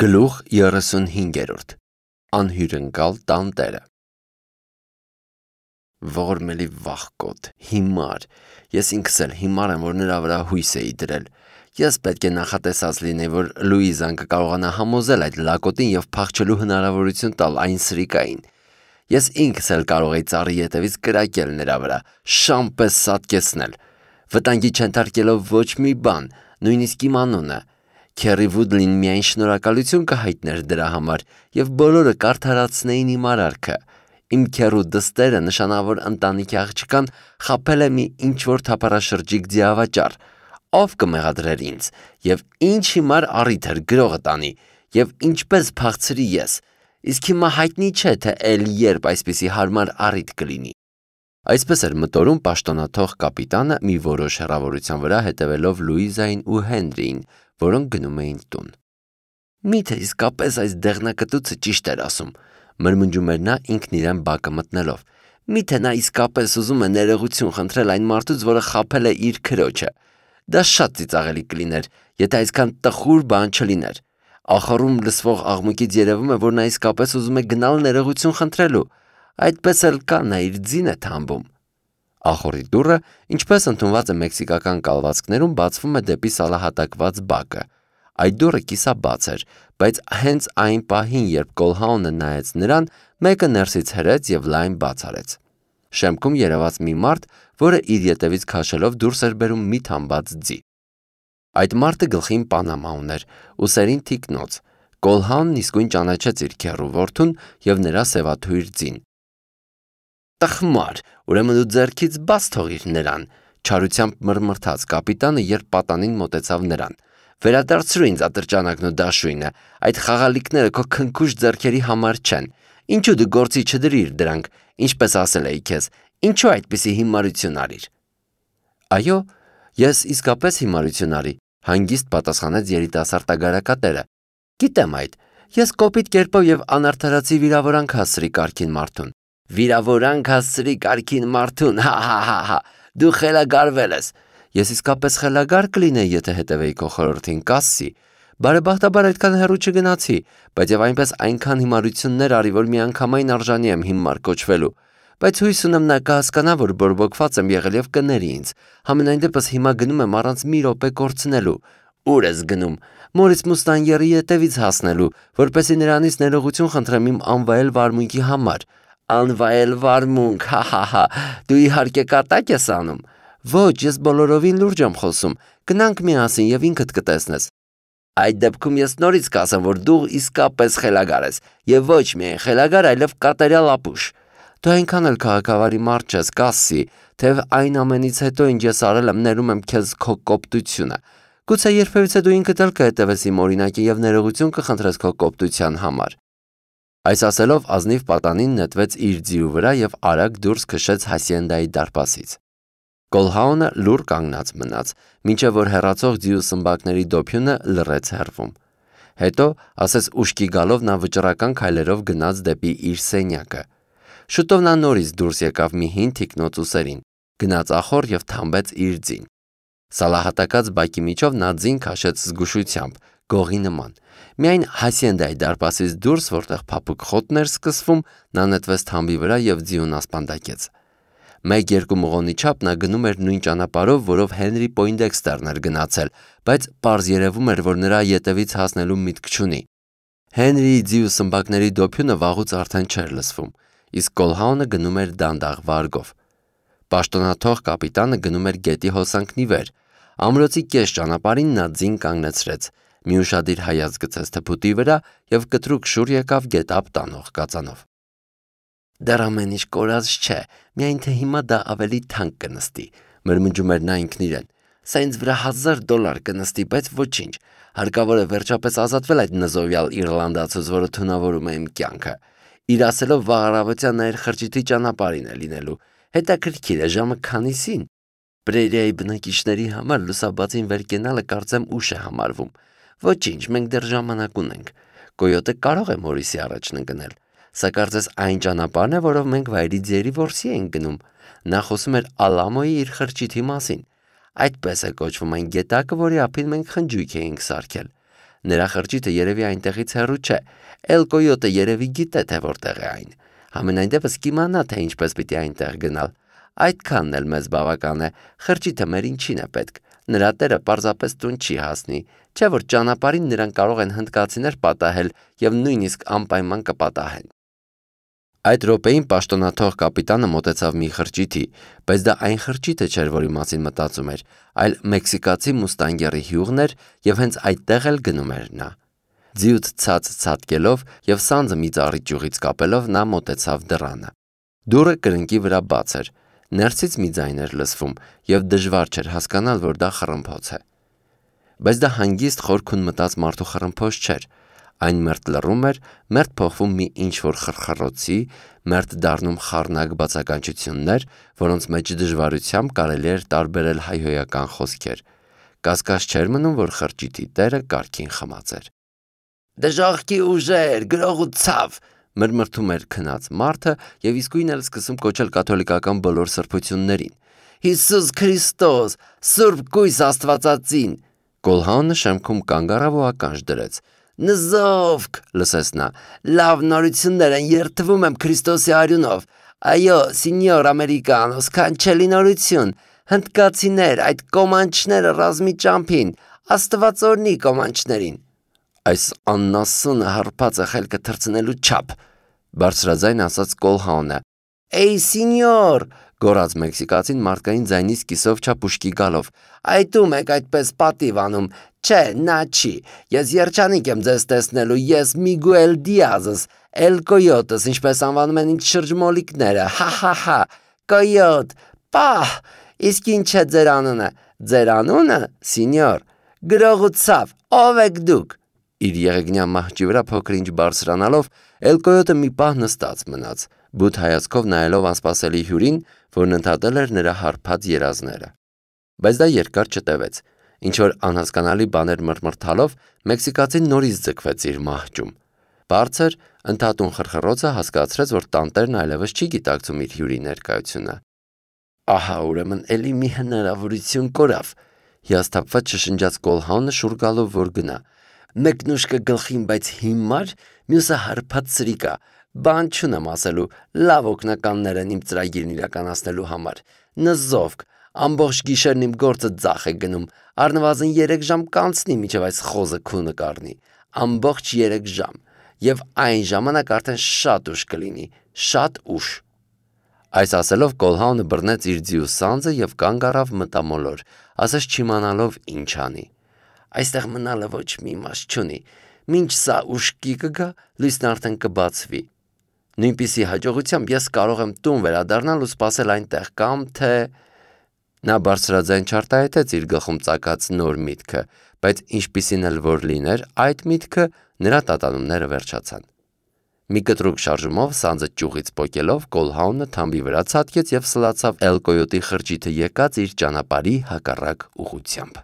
Գլուխ 35 Անհյուրընկալ տանտերը Ողորմելի վախկոտ, հիմար, ես ինքս էլ հիմար եմ, որ նրա վրա հույս էի դրել, ես պետք է նախատեսած լինեի, որ Լուիզան կկարողանա համոզել այդ լակոտին և փախչելու հնարավորություն տալ այն սրիկային, ես ինքս էլ կարող էի ծառի ետևից կրակել նրա վրա, շան պես սատկեցնել, վտանգի չենթարկելով ոչ մի բան, նույնիսկ իմ անունը, Քերի Վուդլին միայն շնորհակալություն կհայտներ դրա համար և բոլորը կարդարացնեին իմ արարքը, իմ քեռու դստերը նշանավոր ընտանիքի աղջկան խաբել է մի ինչ-որ թափառաշրջիկ ձիավաճառ, ով կմեղադրեր ինձ և ինչ հիմար առիթ էր գրողը տանի և ինչպես փախցրի ես, իսկ հիմա հայտնի չէ, թե էլ երբ այսպիսի հարմար առիթ կլինի։ Այսպես էր մտորում պաշտոնաթող կապիտանը մի որոշ հեռավորության վրա հետևելով Լուիզային ու Հենրիին, որոնք գնում էին տուն։ Միթե իսկապես այս դեղնակտուցը ճիշտ էր ասում, մրմնջում էր նա ինքն իրեն բակը մտնելով։ Միթե նա իսկապես ուզում է ներողություն խնդրել այն մարդուց, որը խաբել է իր քրոջը։ Դա շատ ծիծաղելի կլիներ, եթե այսքան տխուր բան չլիներ։ Ախառում լսվող աղմուկից երևում է, որ նա իսկապես ուզում է գնալ ներողություն խնդրելու։ Այդպես էլ կա, նա իր ձին է թամբում։ Ախոռի դուռը, ինչպես ընդունված է մեքսիկական կալվածքներում, բացվում է դեպի սալահատակված բակը։ Այդ դուռը կիսաբաց էր, բայց հենց այն պահին, երբ Կոլհաունը նայեց նրան, մեկը ներսից հրեց և լայն բաց արեց։ Շեմքում երևաց մի մարդ, որը իր ետևից քաշելով դուրս էր բերում մի թամբած ձի։ Այդ մարդը գլխին պանամա ուներ, ուսերին թիկնոց։ Կոլհաունն իսկույն ճանաչեց իր քեռու որդուն և նրա սևաթույր ձին։ Տխմար, ուրեմն դու ձեռքից բաց թողիր նրան, չարությամբ մռմռթաց կապիտանը, երբ պատանին մոտեցավ նրան։ Վերադարձրու ինձ ատրճանակն ու դաշույնը, այդ խաղալիքները քո քնքուշ ձեռքերի համար չեն։ Ինչու դու գործի չդրիր դրանք, ինչպես ասել էի քեզ, ինչու այդպիսի հիմարություն արիր։ Այո, ես իսկապես հիմարություն արի, հանգիստ պատասխանեց երիտասարդ Գիտեմ այդ, ես կոպիտ կերպով և անարդարացի վիրավորանք հասցրի կարգին մարդուն։ Վիրավորանք հասցրի կարգին մարդուն, հա, դու խելագարվել ես։ Ես իսկապես խելագար կլինեի, եթե հետևեի քո խորհրդին, Կասսի։ Բարեբախտաբար այդքան հեռու չգնացի, բայց և այնպես այնքան հիմարություններ արի, որ միանգամայն արժանի եմ հիմար կոչվելու։ Բայց հույս ունեմ նա կհասկանա, որ բորբոքված եմ եղել և կների ինձ։ Համենայն դեպս հիմա գնում եմ առանց մի րոպե կորցնելու։ Ուր ես գնում։ Մորից Մուստանգերի ետևից հասնելու, որպեսզի նրանից ներողություն խնդրեմ իմ անվայել վարմունքի համար։ Անվայել վարմունք, հա, դու իհարկե կատակ ես անում։ Ոչ, ես բոլորովին լուրջ եմ խոսում։ Գնանք միասին և ինքդ կտեսնես։ Այդ դեպքում ես նորից կասեմ, որ դու իսկապես խելագար ես, և ոչ միայն խելագար, այլև կատարյալ ապուշ։ Դու այնքան էլ քաղաքավարի մարդ չես, Կասսի, թեև այն ամենից հետո, ինչ ես արել եմ, ներում եմ քեզ քո կոպտությունը։ Գուցե երբևիցե դու ինքդ էլ կհետևես իմ օրինակին և ներողություն կխնդրես քո կոպտության համար։ Այս ասելով ազնիվ պատանին նետվեց իր ձիու վրա և արագ դուրս քշեց հասիենդայի դարպասից։ Կոլհաունը լուռ կանգնած մնաց, մինչև որ հեռացող ձիու սմբակների դոփյունը լռեց հեռվում։ Հետո, ասես ուշքի գալով, նա վճռական քայլերով գնաց դեպի իր սենյակը։ Շուտով նա նորից դուրս եկավ մի հին թիկնոց ուսերին, գնաց ախոր և թամբեց իր ձին։ Սալահատակած բակի միջով նա ձին քաշեց զգուշությամբ, գողի նման։ Միայն հասիենդայի դարպասից դուրս, որտեղ փափուկ խոտն էր սկսվում, նա նետվեց թամբի վրա և ձիուն ասպանդակեց։ 1-2 մղոնի չափ նա գնում էր նույն ճանապարհով, որով Հենրի Պոյնդեքստերն էր գնացել, բայց պարզ երևում էր, որ նրա ետևից հասնելու միտք չունի։ Հենրիի ձիու սմբակների դոփյունը վաղուց արդեն չէր լսվում, իսկ Կոլհաունը գնում էր դանդաղ վարգով։ Պաշտոնաթող կապիտանը գնում էր գետի հոսանքն ի վեր։ Ամրոցի կես ճանապարհին նա ձին կանգնեցրեց, մի ուշադիր հայացք գցեց թփուտի վրա և կտրուկ շուռ եկավ գետափ տանող կածանով։ Դեռ ամեն ինչ կորած չէ, միայն թե հիմա դա ավելի թանկ կնստի, մրմնջում էր նա ինքն իրեն։ Սա ինձ վրա $1000 կնստի, բայց ոչինչ, հարկավոր է վերջապես ազատվել այդ նզովյալ իռլանդացուց, որը թունավորում է իմ կյանքը։ Իր ասելով վաղ առավոտյան նա իր խրճիթի ճանապարհին է լինելու։ Հետաքրքիր է, ժամը քանիսին։ Պրերիայի բնակիչների համար լուսաբացին վեր կենալը կարծեմ ուշ է համարվում։ Ոչինչ, մենք դեռ ժամանակ ունենք։ Կոյոտը կարող է Մորիսի առաջն ընկնել։ Սա կարծես այն ճանապարհն է, որով մենք վայրի ձիերի որսի ենք գնում։ Նա խոսում էր Ալամոյի իր խրճիթի մասին։ Այդպես է կոչվում այն գետակը, որի ափին մենք խնջույք էինք սարքել։ Նրա խրճիթը երևի այնտեղից հեռու չէ, Էլ Կոյոտը երևի գիտե, թե որտեղ է այն։ Համենայն դեպս կիմանա, թե ինչպես պիտի այնտեղ գնալ։ Այդքանն էլ մեզ բավական է, խրճիթը մեր ինչին է պետք։ Նրա տերը պարզապես տուն չի հասնի, չէ որ ճանապարհին նրան կարող են հնդկացիներ պատահել եւ նույնիսկ անպայման կպատահեն։ Այդ րոպեին պաշտոնաթող կապիտանը մոտեցավ մի խրճիթի, բայց դա այն խրճիթը չէր, որի մասին մտածում էր, այլ մեքսիկացի մուստանգերի հյուղն էր եւ հենց այդտեղ էլ գնում էր նա։ Ձիուց ցած ցատկելով եւ սանձը մի ծառի ճյուղից կապելով նա մոտեցավ դռանը։ Դուռը կրնկի վրա բաց էր, ներսից մի ձայն էր լսվում եւ դժվար չէր հասկանալ, որ դա խռմփոց է։ Բայց դա հանգիստ խորքուն մտած մարդու խռմփոց չէր։ Այն մերթ լռում էր, մերթ փոխվում մի ինչ-որ խրխռոցի, մերթ դառնում խառնակ բացականչություններ, որոնց մեջ դժվարությամբ կարելի էր տարբերել հայհոյական խոսքեր։ Կասկած չէր մնում, որ խրճիթի տերը կարգին խմած էր։ Դժոխքի ուժեր, գրող ու ցավ, մրմրթում էր քնած մարդը եւ իսկույն էլ սկսում կոչել կաթոլիկական բոլոր սրբություններին։ Հիսուս Քրիստոս, Սուրբ Կույս Աստվածածին։ Կոլհանը շեմքում կանգ առավ ու ականջ դրեց։ Նզովք, լսեց նա, լավ նորություններ են, երդվում եմ Քրիստոսի արյունով։ Այո, սինյոր ամերիկանո, սքանչելի նորություն։ Հնդկացիներ, այդ կոմանչները ռազմի ճամփին, Աստված օրհնի կոմանչներին։ Այս աննասունը հարբած է խելքը թռցնելու չափ, բարձրաձայն ասաց Կոլհանը։ Էй սինյոր, գոռաց մեքսիկացին մարդկային ձայնից կիսով չափուշկի գալով։ Այդում եք այդպես պատիվ անում։ Չէ, նա չի։ Ես երջանիկ եմ ձեզ տեսնելու, ես Միգուել Դիազս, Էլ Կոյոտս, ինչպես անվանում են ինձ շրջմոլիկները։ Հա, Կոյոտ, պահ, իսկ ինչ է ձեր անունը։ Ձեր անունը, սինյոր, գրող ու ցավ, ով եք դուք։ Իր եղեգնյա մահճի վրա փոքր-ինչ բարձրանալով, Էլ Կոյոտը մի պահ նստած մնաց, բութ հայացքով նայելով անսպասելի հյուրին, որն ընդհատել էր նրա հարբած երազները։ Բայց դա երկար չտևեց, ինչ-որ անհասկանալի բաներ մռմռթալով, մեքսիկացին նորից ձգվեց իր մահճում։ Բարձր, ընդհատուն խրխռոցը հասկացրեց, որ տանտերն այլևս չի գիտակցում իր հյուրի ներկայությունը։ Ահա ուրեմն էլի մի հնարավորություն կորավ, հիասթափված շշնջաց Կոլհանը շուռ գալով, որ գնա։ Մեկն ուշքը գլխին, բայց հիմար, մյուսը հարբած սրիկա, բան չունեմ ասելու, լավ օգնականներ են իմ ծրագիրն իրականացնելու համար։ Նզովք, ամբողջ գիշերն իմ գործը ձախ է գնում, առնվազն 3 ժամ կանցնի, մինչև այս խոզը քունը կառնի, ամբողջ 3 ժամ, եւ այն ժամանակ արդեն շատ ուշ կլինի, շատ ուշ։ Այս ասելով Կոլհանը բռնեց իր ձիու սանձը եւ կանգ առավ մտամոլոր, ասես չիմանալով ինչ անի։ Այստեղ մնալը ոչ մի իմաստ չունի, մինչ սա ուշքի կգա, լույսն արդեն կբացվի։ Նույնպիսի հաջողությամբ ես կարող եմ տուն վերադառնալ ու սպասել այնտեղ կամ թե… Նա բարձրաձայն չարտահայտեց իր գլխում ծագած նոր միտքը, բայց ինչպիսին էլ որ լիներ, այդ միտքը նրա տատանումները վերջացան։ Մի կտրուկ շարժումով սանձը ճյուղից պոկելով Կոլհանը թամբի վրա ցատկեց եւ սլացավ Էլ Կոյոտի խրճիթը եկած իր ճանապարհի հակառակ ուղղությամբ։